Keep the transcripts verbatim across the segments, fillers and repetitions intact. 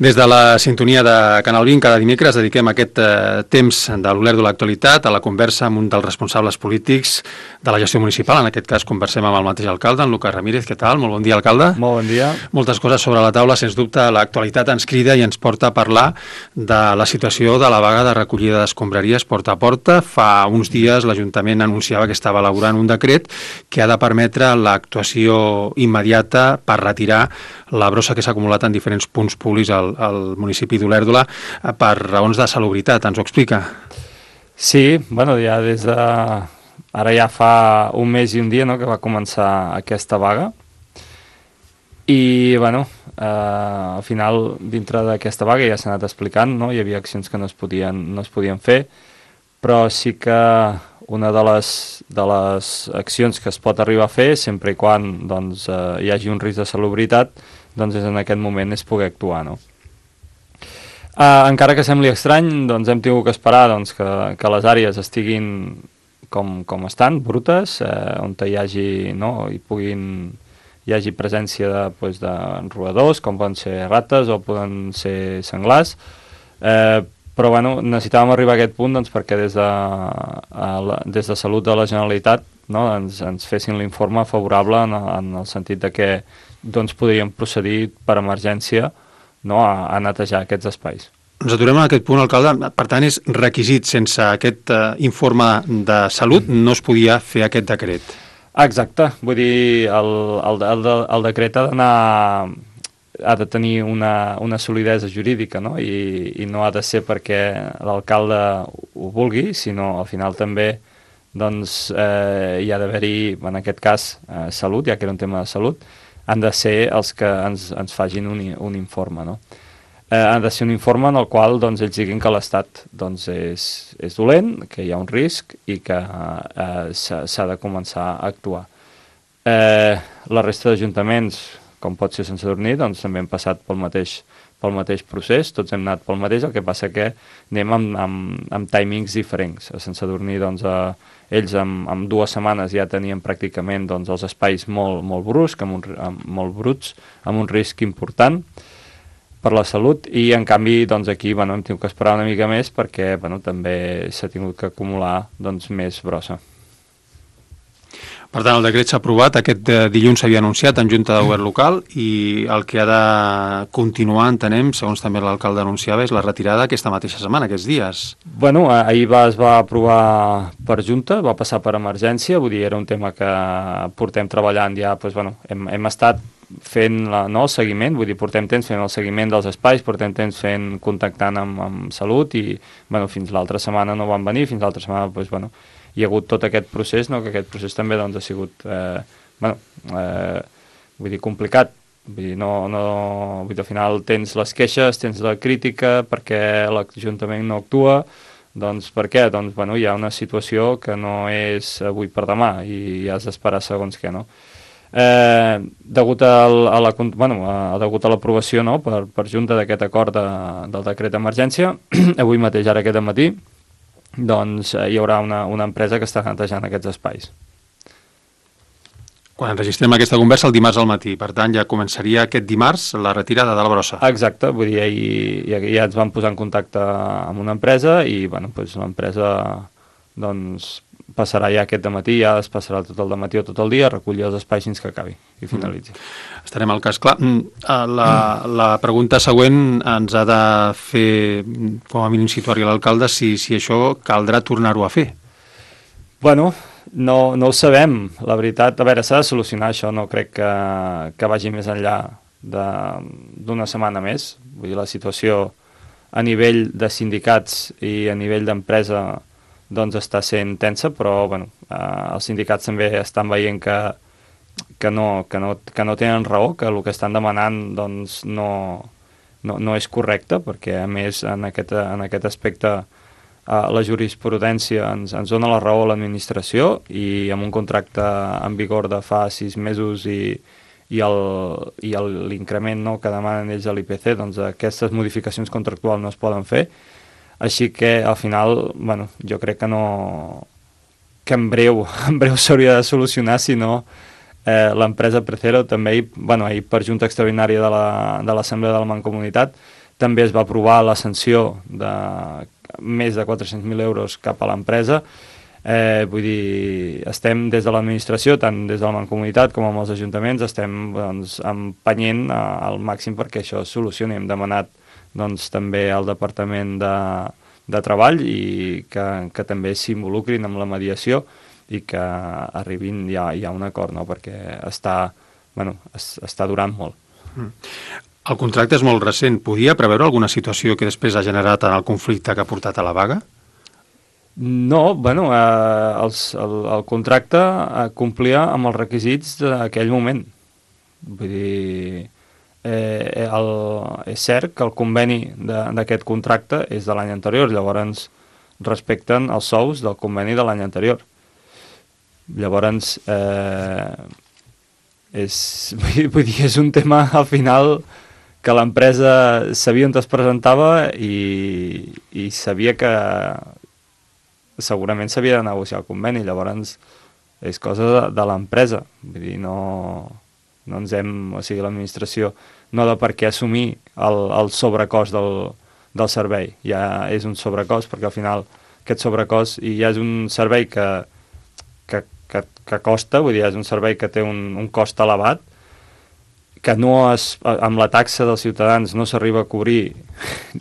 Des de la sintonia de Canal vint, cada dimecres dediquem aquest eh, temps de l'Oler de l'actualitat a la conversa amb un dels responsables polítics de la gestió municipal. En aquest cas conversem amb el mateix alcalde, en Lucas Ramírez. Què tal? Molt bon dia, alcalde. Molt bon dia. Moltes coses sobre la taula. Sens dubte, l'actualitat ens crida i ens porta a parlar de la situació de la vaga de recollida d'escombraries porta a porta. Fa uns dies l'Ajuntament anunciava que estava elaborant un decret que ha de permetre l'actuació immediata per retirar la brossa que s'ha acumulat en diferents punts públics al, al municipi d'Olèrdola per raons de salubritat. Ens ho explica? Sí, bueno, ja des de... Ara ja fa un mes i un dia, no?, que va començar aquesta vaga. I, bueno, eh, al final, dintre d'aquesta vaga ja s'ha anat explicant, no?, hi havia accions que no es podien, no es podien fer, però sí que una de les, de les accions que es pot arribar a fer, sempre i quan doncs, eh, hi hagi un risc de salubritat, doncs és en aquest moment és poder actuar, no? Uh, encara que sembli estrany, doncs hem tingut que esperar doncs, que, que les àrees estiguin com, com estan, brutes, eh, on hi hagi, no, hi puguin, hi hagi presència de, doncs, de roedors, com poden ser rates o poden ser senglars, eh, però bueno, necessitàvem arribar a aquest punt doncs, perquè des de, a la, des de Salut de la Generalitat, no, ens, ens fessin l'informe favorable en, en el sentit de que doncs, podríem procedir per emergència, no, a, a netejar aquests espais. Ens aturem en aquest punt, alcalde. Per tant, és requisit. Sense aquest eh, informe de salut no es podia fer aquest decret. Exacte. Vull dir, el, el, el, el decret ha d'anar... ha de tenir una, una solidesa jurídica, no? I, i no ha de ser perquè l'alcalde ho vulgui, sinó al final també doncs, eh, hi ha d'haver-hi, en aquest cas, eh, salut, ja que era un tema de salut, han de ser els que ens, ens fagin un, un informe, no? Eh, han de ser un informe en el qual doncs, ells diguin que l'estat doncs, és, és dolent, que hi ha un risc i que eh, s'ha de començar a actuar. Eh, la resta d'ajuntaments, com pot ser Sant Sadurní, doncs també hem passat pel mateix, pel mateix procés, tots hem anat pel mateix, el que passa que anem amb, amb, amb timings diferents. A Sant Sadurní, doncs, a, ells amb, amb dues setmanes ja tenien pràcticament doncs, els espais molt, molt bruscs, amb un, amb, molt bruts, amb un risc important per la salut, i en canvi doncs, aquí bueno, hem tingut que esperar una mica més perquè bueno, també s'ha tingut que acumular doncs, més brossa. Per tant, el decret s'ha aprovat, aquest dilluns s'havia anunciat en Junta de Govern Local i el que ha de continuar, entenem, segons també l'alcalde anunciava, és la retirada aquesta mateixa setmana, aquests dies. Bueno, ahir va, es va aprovar per Junta, va passar per emergència, vull dir, era un tema que portem treballant ja, doncs, bueno, hem, hem estat fent la, no, el seguiment, vull dir, portem temps fent el seguiment dels espais, portem temps fent, contactant amb, amb Salut i, bueno, fins l'altra setmana no van venir, fins l'altra setmana, doncs, bueno, hi ha hagut tot aquest procés, no? Que aquest procés també doncs, ha sigut eh, bueno, eh, vull dir, complicat. Vull dir, no, no, vull dir, al final tens les queixes, tens la crítica perquè l'Ajuntament no actua, doncs per què? Doncs bueno, hi ha una situació que no és avui per demà i has d'esperar segons què, no? Eh, degut a, a la, bueno, a, degut a l'aprovació no? per, per Junta d'aquest acord de, del decret d'emergència, avui mateix, ara aquest matí, doncs eh, hi haurà una, una empresa que està netejant aquests espais. Quan enregistrem aquesta conversa el dimarts al matí, per tant ja començaria aquest dimarts la retirada de la brossa. Exacte, vull dir, ja, ja ens vam posar en contacte amb una empresa i bueno, doncs l'empresa doncs, passarà ja aquest dematí, ja es passarà tot el dematí o tot el dia a recollir els espais fins que acabi i finalitzi. Mm. Estarem al cas. Clar, la, la pregunta següent ens ha de fer, com a mínim situar-hi l'alcalde, si, si això caldrà tornar-ho a fer. Bueno, no, no ho sabem. La veritat, a veure, s'ha de solucionar això, no crec que, que vagi més enllà d'una setmana més. Vull dir, la situació a nivell de sindicats i a nivell d'empresa doncs està sent tensa, però bueno, eh, els sindicats també estan veient que, que, no, que, no, que no tenen raó, que el que estan demanant doncs, no, no, no és correcte, perquè a més en aquest, en aquest aspecte eh, la jurisprudència ens, ens dona la raó a l'administració i amb un contracte en vigor de fa sis mesos i, i l'increment no, que demanen ells a l'I P C, doncs aquestes modificacions contractuals no es poden fer. Així que, al final, bueno, jo crec que no... que en breu, en breu s'hauria de solucionar, si no eh, l'empresa Precero també, bueno, ahir per Junta Extraordinària de l'Assemblea la, de, de la Mancomunitat, també es va aprovar la sanció de més de quatre-cents mil euros cap a l'empresa. Eh, vull dir, estem des de l'administració, tant des de la Mancomunitat com amb els ajuntaments, estem doncs, empenyent al màxim perquè això es solucioni. Hem demanat doncs, també al Departament de, de Treball i que, que també s'involucrin amb la mediació i que arribin ja, ja a un acord, no? Perquè està, bueno, es, està durant molt. Mm. El contracte és molt recent. Podia preveure alguna situació que després ha generat en el conflicte que ha portat a la vaga? No, bueno, eh, els, el, el contracte eh, complia amb els requisits d'aquell moment. Vull dir, eh, el, és cert que el conveni d'aquest contracte és de l'any anterior, llavors respecten els sous del conveni de l'any anterior. Llavors, eh, és, vull dir, és un tema al final que l'empresa sabia on es presentava i, i sabia que segurament s'havia de negociar el conveni, llavors és cosa de, de l'empresa. Vull dir, no, no ens hem, o sigui, l'administració no ha de per què assumir el, el sobrecost del, del servei. Ja és un sobrecost perquè al final aquest sobrecost i ja és un servei que, que, que, que costa, vull dir, és un servei que té un, un cost elevat, que no es, amb la taxa dels ciutadans no s'arriba a cobrir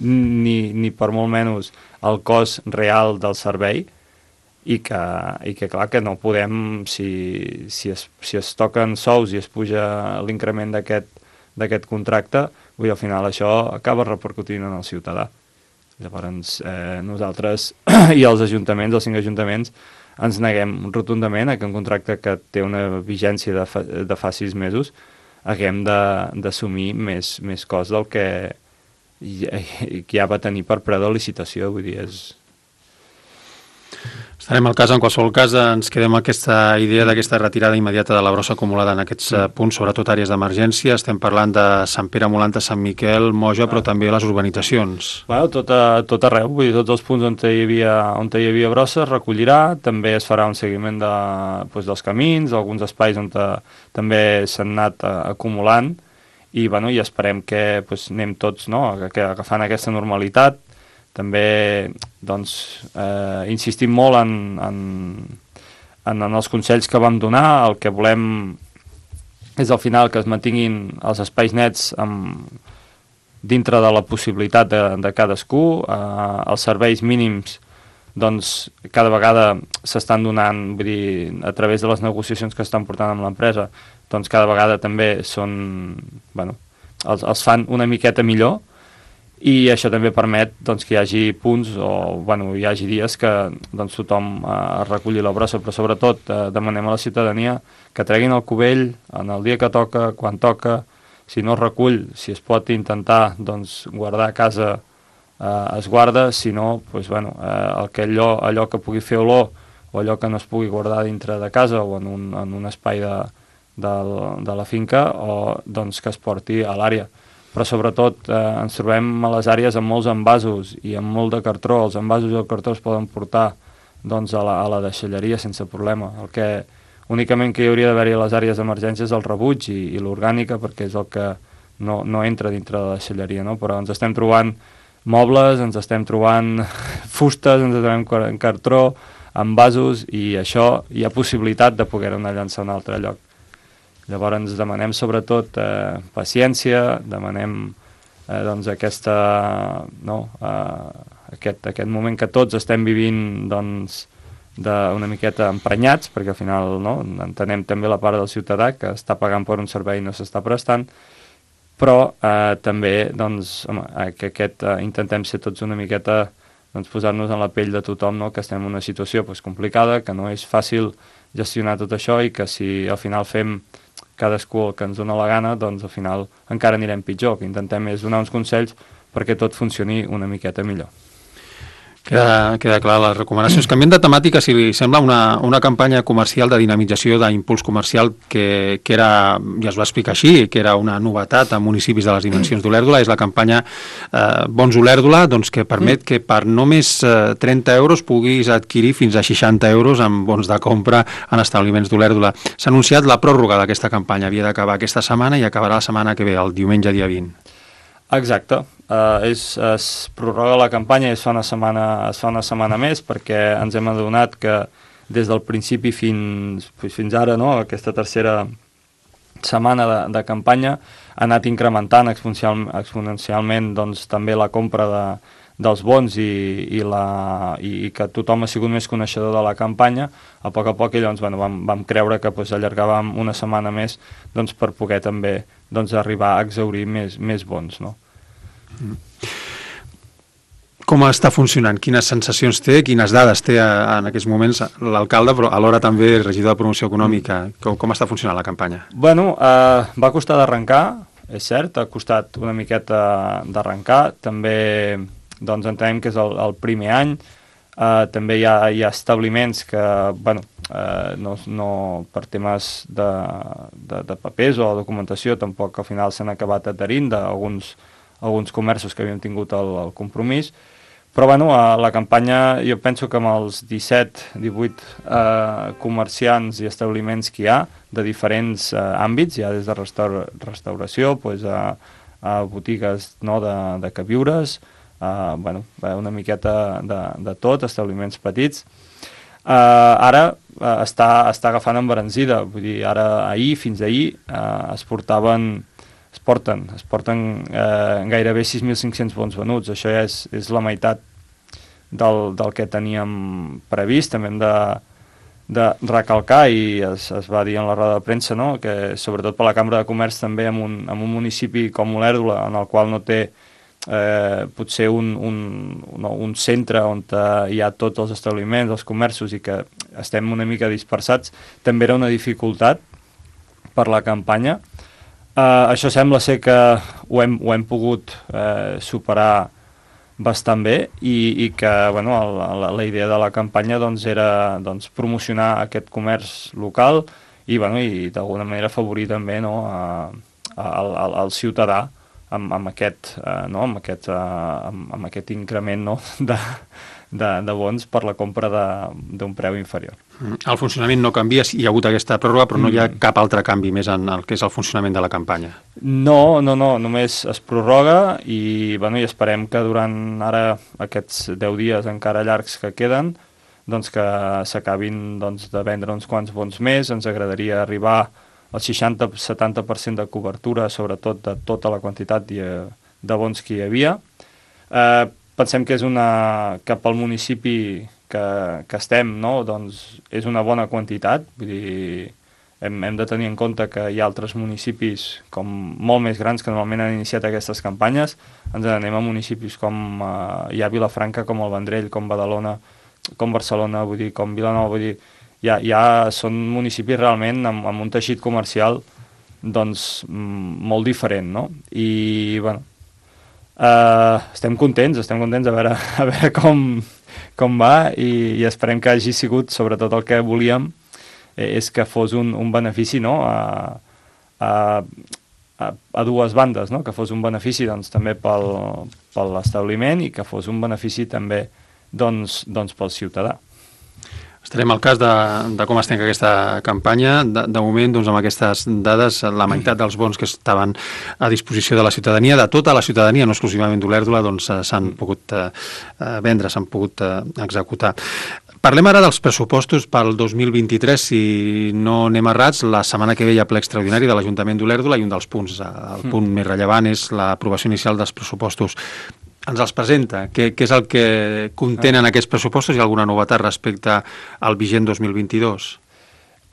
ni, ni per molt menys el cost real del servei i que, i que clar, que no podem, si, si, es, si es toquen sous i es puja l'increment d'aquest contracte, vull dir, al final això acaba repercutint en el ciutadà. Llavors, eh, nosaltres i els ajuntaments, els cinc ajuntaments, ens neguem rotundament a que un contracte que té una vigència de fa, de fa sis mesos haguem d'assumir més, més cost del que ja, ja va tenir per preu de licitació. Vull dir, és... Estarem al cas, en qualsevol cas ens quedem amb aquesta idea d'aquesta retirada immediata de la brossa acumulada en aquests mm. punts, sobretot àrees d'emergència. Estem parlant de Sant Pere, Molanta, Sant Miquel, Moja, ah. però també les urbanitzacions. Bueno, tot, a, tot arreu, vull dir, tots els punts on hi havia, on hi havia brossa es recollirà, també es farà un seguiment de, doncs, dels camins, alguns espais on te, també s'han anat a, acumulant i, bueno, i esperem que doncs, anem tots, no?, que agafant aquesta normalitat. També doncs, eh, insistim molt en, en, en, en els consells que vam donar. El que volem és al final que es mantinguin els espais nets amb, dintre de la possibilitat de, de cadascú. Eh, els serveis mínims doncs, cada vegada s'estan donant, vull dir, a través de les negociacions que estan portant amb l'empresa, doncs cada vegada també són, bueno, els, els fan una miqueta millor. I això també permet doncs, que hi hagi punts o bueno, hi hagi dies que doncs, tothom eh, reculli la brossa, però sobretot eh, demanem a la ciutadania que treguin el cubell en el dia que toca, quan toca. Si no es recull, si es pot intentar doncs, guardar a casa, eh, es guarda, si no, doncs, bueno, eh, el que allò, allò que pugui fer olor o allò que no es pugui guardar dintre de casa o en un, en un espai de, de, de la finca o doncs, que es porti a l'àrea. Però sobretot eh, ens trobem a les àrees amb molts envasos i amb molt de cartró. Els envasos i el cartró es poden portar doncs, a, la, a la deixalleria sense problema. El que únicament que hi hauria d'haver-hi a les àrees d'emergència és el rebuig i, i l'orgànica, perquè és el que no, no entra dintre de la deixalleria, no? Però ens estem trobant mobles, ens estem trobant fustes, ens estem trobant cartró, envasos, i això hi ha possibilitat de poder-ho anar a llançar a un altre lloc. Llavors ens demanem sobretot eh, paciència, demanem eh, doncs aquesta, no, eh, aquest, aquest moment que tots estem vivint doncs, d'una miqueta emprenyats, perquè al final no, entenem també la part del ciutadà que està pagant per un servei i no s'està prestant, però eh, també doncs, home, eh, que aquest, eh, intentem ser tots una miqueta, doncs, posar-nos en la pell de tothom, no, que estem en una situació doncs, complicada, que no és fàcil gestionar tot això i que si al final fem cadascú el que ens dona la gana, doncs al final encara anirem pitjor. Que intentem és donar uns consells perquè tot funcioni una miqueta millor. Queda, queda clar les recomanacions. Canviem de temàtica, si li sembla, una, una campanya comercial de dinamització d'impuls comercial que, que era, ja es va explicar així, que era una novetat a municipis de les dimensions d'Olèrdola, és la campanya eh, Bons Olèrdola, doncs, que permet que per només eh, trenta euros puguis adquirir fins a seixanta euros en bons de compra en establiments d'Olèrdola. S'ha anunciat la pròrroga d'aquesta campanya, havia d'acabar aquesta setmana i acabarà la setmana que ve, el diumenge dia vint. Exacte. Uh, és, es prorroga la campanya i es fa una setmana, es fa una setmana més, perquè ens hem adonat que des del principi fins, fins ara, no, aquesta tercera setmana de, de campanya, ha anat incrementant exponencial, exponencialment doncs, també la compra de, dels bons i, i, la, i que tothom ha sigut més coneixedor de la campanya. A poc a poc i llavors bueno, vam, vam creure que doncs, allargàvem una setmana més doncs, per poder també doncs, arribar a exhaurir més, més bons, no? Mm. Com està funcionant? Quines sensacions té, quines dades té en aquests moments l'alcalde, però alhora també regidor de promoció econòmica? Com, com està funcionant la campanya? Bueno, eh, va costar d'arrencar, és cert, ha costat una miqueta d'arrencar, també doncs, entenem que és el, el primer any, eh, també hi ha, hi ha establiments que, bueno, eh, no, no, per temes de, de, de papers o documentació tampoc al final s'han acabat adherint d'alguns alguns comerços que havíem tingut el, el compromís, però bueno, a la campanya jo penso que amb els disset divuit eh, comerciants i establiments que hi ha de diferents eh, àmbits, ja des de restaur restauració pues, a, a botigues no, de, de queviures, eh, bueno, una miqueta de, de tot, establiments petits. Eh, ara eh, està, està agafant embranzida, vull dir, ara ahir, fins ahir, eh, es portaven es porten, es porten eh, gairebé sis mil cinc-cents bons venuts. Això ja és, és la meitat del, del que teníem previst. També hem de, de recalcar, i es, es va dir en la roda de premsa, no? Que sobretot per la Cambra de Comerç també en un, en un municipi com Olèrdola, en el qual no té eh, potser un, un, no, un centre on hi ha tots els establiments, els comerços, i que estem una mica dispersats, també era una dificultat per la campanya. Uh, això sembla ser que ho hem, ho hem pogut uh, superar bastant bé i, i que bueno, la, la idea de la campanya doncs, era doncs, promocionar aquest comerç local i, bueno, i d'alguna manera afavorir també no, a, a, al, al ciutadà amb, amb, aquest, uh, no, amb, aquest, uh, amb, amb aquest increment no, de, de, de bons per la compra d'un preu inferior. El funcionament no canvia, hi ha hagut aquesta pròrroga, però no hi ha cap altre canvi més en el que és el funcionament de la campanya. No, no, no, només es prorroga i, bueno, i esperem que durant ara aquests deu dies encara llargs que queden, doncs que s'acabin doncs, de vendre uns quants bons més. Ens agradaria arribar al seixanta a setanta per cent de cobertura, sobretot de tota la quantitat de, de bons que hi havia. Eh, pensem que és una, que pel municipi que, que estem, no? Doncs és una bona quantitat, vull dir, hem, hem de tenir en compte que hi ha altres municipis com molt més grans que normalment han iniciat aquestes campanyes. Ens anem a municipis com eh, hi ha Vilafranca, com el Vendrell, com Badalona, com Barcelona, vull dir, com Vilanova, vull dir, ja, ja són municipis realment amb, amb un teixit comercial doncs molt diferent, no? I, bueno, eh, estem contents, estem contents a veure, a veure com, com va i, i esperem que hagi sigut, sobretot el que volíem, eh, és que fos un, un benefici, no?, a, a, a, a dues bandes, no?, que fos un benefici doncs, també pel, per l'establiment i que fos un benefici també doncs, doncs pel ciutadà. Estarem al cas de, de com es tanca aquesta campanya. De, de moment, doncs, amb aquestes dades, la meitat dels bons que estaven a disposició de la ciutadania, de tota la ciutadania, no exclusivament d'Olèrdola, doncs s'han pogut eh, vendre, s'han pogut eh, executar. Parlem ara dels pressupostos pel dos mil vint-i-tres, si no anem errats. La setmana que ve hi ha ple extraordinari de l'Ajuntament d'Olèrdola i un dels punts, el punt mm. més rellevant és l'aprovació inicial dels pressupostos. Ens els presenta. Què, què és el que contenen aquests pressupostos? Hi ha alguna novetat respecte al vigent dos mil vint-i-dos?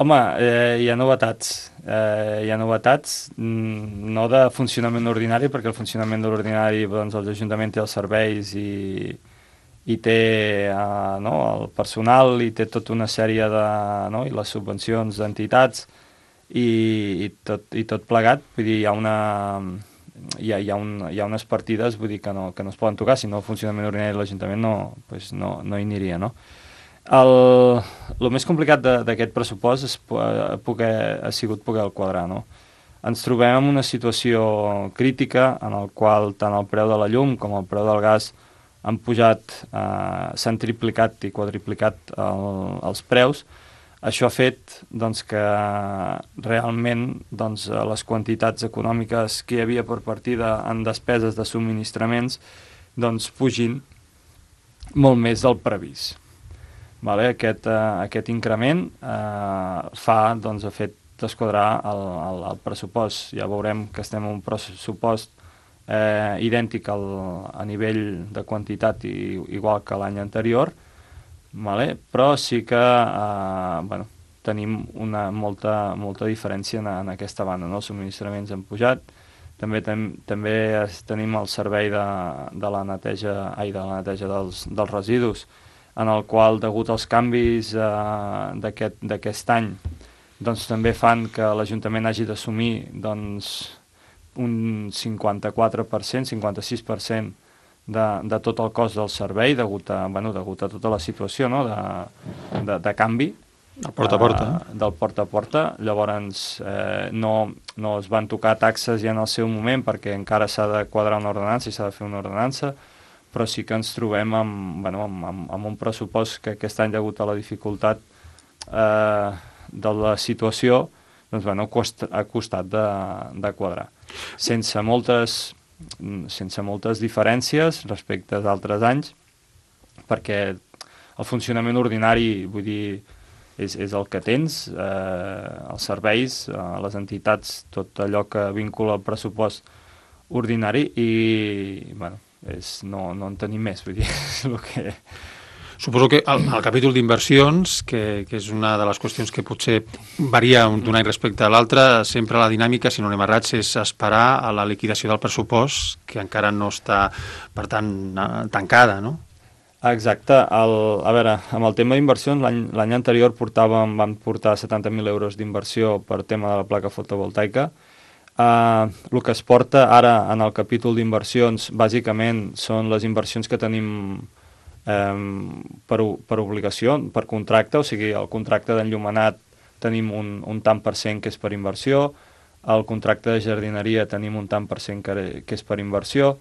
Home, eh, hi ha novetats. Eh, hi ha novetats, no de funcionament ordinari, perquè el funcionament de l'ordinari, doncs, l'Ajuntament té els serveis i, i té eh, no, el personal i té tota una sèrie de... No, i les subvencions d'entitats i, i, tot, i tot plegat. Vull dir, hi ha una... Hi ha, hi, ha un, hi ha unes partides, vull dir, que no, que no es poden tocar, si no el funcionament ordinari de l'Ajuntament no, pues no, no hi aniria, no? El, el més complicat d'aquest pressupost és poder, ha sigut poder el quadrar, no? Ens trobem en una situació crítica en el qual tant el preu de la llum com el preu del gas han pujat, eh, s'han triplicat i quadriplicat el, els preus, Això ha fet doncs, que realment doncs, les quantitats econòmiques que hi havia per partida en despeses de subministraments doncs, pugin molt més del previst. Vale? Aquest, uh, aquest increment uh, fa, doncs, ha fet desquadrar el, el, el pressupost. Ja veurem que estem en un pressupost eh, idèntic al, a nivell de quantitat i, igual que l'any anterior, vale? Però sí que eh, bueno, tenim una molta, molta diferència en, en aquesta banda. No? Els subministraments han pujat, també, tem, també tenim el servei de, de la neteja, ai, de la neteja dels, dels residus, en el qual, degut als canvis eh, d'aquest any, doncs també fan que l'Ajuntament hagi d'assumir doncs, un cinquanta-quatre per cent, cinquanta-sis per cent de, de tot el cost del servei, degut a, bueno, degut a tota la situació, no? de, de, de canvi. El porta a porta. Eh, del porta a porta. Llavors, eh, no, no es van tocar taxes ja en el seu moment perquè encara s'ha de quadrar una ordenança i s'ha de fer una ordenança, però sí que ens trobem amb, bueno, amb, amb, amb un pressupost que aquest any, degut a la dificultat eh, de la situació, doncs, bueno, cost, ha costat de, de quadrar. Sense moltes, sense moltes diferències respecte d'altres anys, perquè el funcionament ordinari, vull dir, és, és el que tens, eh, els serveis, eh, les entitats, tot allò que vincula el pressupost ordinari i, bueno, és, no, no en tenim més, vull dir, és el que... Suposo que el, el capítol d'inversions, que, que és una de les qüestions que potser varia d'un any respecte a l'altre, sempre la dinàmica, si no anem errats, és esperar a la liquidació del pressupost, que encara no està, per tant, tancada, no? Exacte. El, a veure, amb el tema d'inversions, l'any anterior portàvem, vam portar setanta mil euros d'inversió per tema de la placa fotovoltaica. Uh, el que es porta ara en el capítol d'inversions bàsicament són les inversions que tenim um, per, per obligació, per contracte, o sigui, el contracte d'enllumenat tenim un, un tant per cent que és per inversió, el contracte de jardineria tenim un tant per cent que, que és per inversió,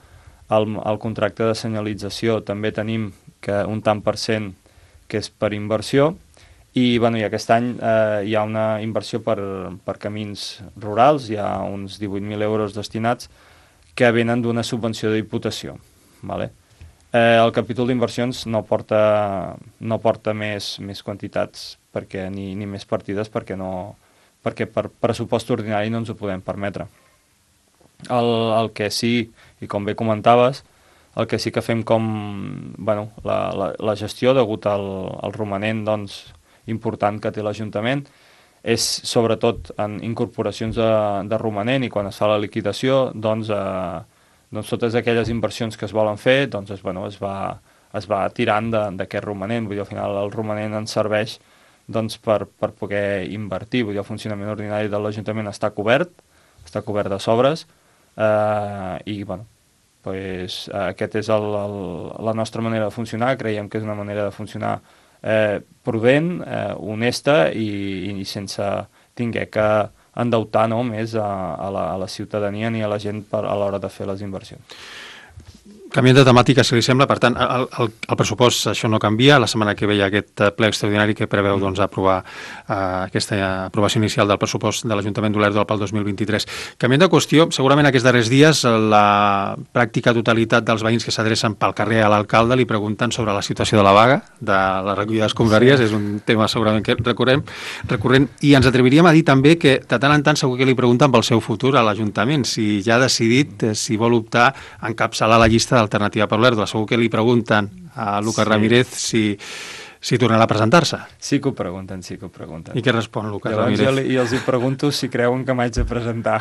el, el contracte de senyalització també tenim que un tant per cent que és per inversió, i, bueno, i aquest any eh, hi ha una inversió per, per camins rurals, hi ha uns divuit mil euros destinats que venen d'una subvenció de diputació. Vale? Eh, el capítol d'inversions no porta, no porta més, més quantitats perquè, ni, ni més partides perquè, no, perquè per pressupost ordinari no ens ho podem permetre. El, el que sí, i com bé comentaves, el que sí que fem com bueno, la, la, la gestió degut al, al romanent, doncs, important que té l'Ajuntament és sobretot en incorporacions de, de romanent, i quan es fa la liquidació doncs, eh, doncs totes aquelles inversions que es volen fer doncs es, bueno, es, va, es va tirant d'aquest romanent. Vull dir, al final el romanent ens serveix doncs, per, per poder invertir. Vull dir, el funcionament ordinari de l'Ajuntament està cobert, està cobert de sobres eh, i bueno, pues, aquest és el, el, la nostra manera de funcionar. Creiem que és una manera de funcionar Eh, prudent, eh, honesta i, i sense tinguer que endeutar no, més a, a, la, a la ciutadania ni a la gent per, a l'hora de fer les inversions. Canviant de temàtica, si li sembla, per tant, el, el, el pressupost, això no canvia. La setmana que ve hi ha aquest ple extraordinari que preveu mm. doncs, aprovar eh, aquesta aprovació inicial del pressupost de l'Ajuntament d'Olèrdola pel dos mil vint-i-tres. Canviant de qüestió, segurament aquests darrers dies la pràctica totalitat dels veïns que s'adrecen pel carrer a l'alcalde li pregunten sobre la situació de la vaga, de la recollida d'escombraries, sí. És un tema segurament que recorrem, recurrent, i ens atreviríem a dir també que de tant en tant segur que li pregunten pel seu futur a l'Ajuntament, si ja ha decidit eh, si vol optar a encapçalar la llista d'Alternativa per Olèrdola. Segur que li pregunten a Lucas sí. Ramírez si, si tornarà a presentar-se. Sí que ho pregunten, sí que ho pregunten. I què respon Lucas Llavors Ramírez? Jo, li, jo els hi pregunto si creuen que m'haig de presentar.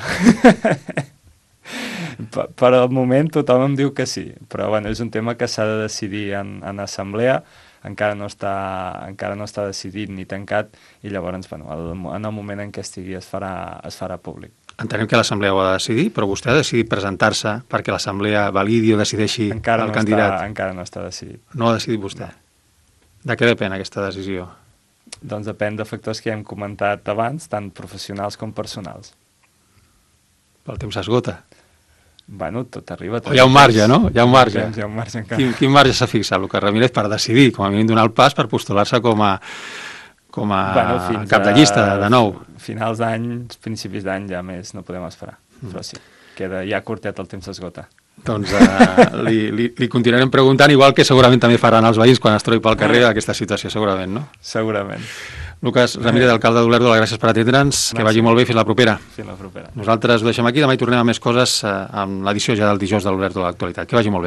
per, per al moment tothom em diu que sí, però bueno, és un tema que s'ha de decidir en, en assemblea, encara no, està, encara no està decidit ni tancat, i llavors bueno, el, en el moment en què estigui es farà, es farà públic. Entenem que l'Assemblea ho ha de decidir, però vostè ha decidit presentar-se perquè l'Assemblea validi o decideixi encara el no candidat. Està, encara no està decidit. No ha decidit vostè? No. De què depèn aquesta decisió? Doncs depèn de factors que hem comentat abans, tant professionals com personals. El temps s'esgota. Bueno, tot arriba... Tot o hi ha un marge, no? Hi ha un marge. Temps, hi ha un marge encara. Quin, quin marge s'ha fixat Lucas Ramírez per decidir, com a mínim donar el pas per postular-se com a com a bueno, fins cap de llista, de nou. Finals d'any, principis d'any, ja més no podem esperar. Mm. Però sí, queda ja curtet, el temps s'esgota. Doncs uh, li, li, li continuarem preguntant, igual que segurament també faran els veïns quan es trobi pel carrer aquesta situació, segurament, no? Segurament. Lucas Ramírez, alcalde d'Olèrdola, gràcies per atendre'ns, que vagi molt bé, fins la propera. Fins la propera. Nosaltres ho deixem aquí, demà hi tornem a més coses uh, amb l'edició ja del dijous de l'Olèrdola de l'Actualitat. Que vagi molt bé.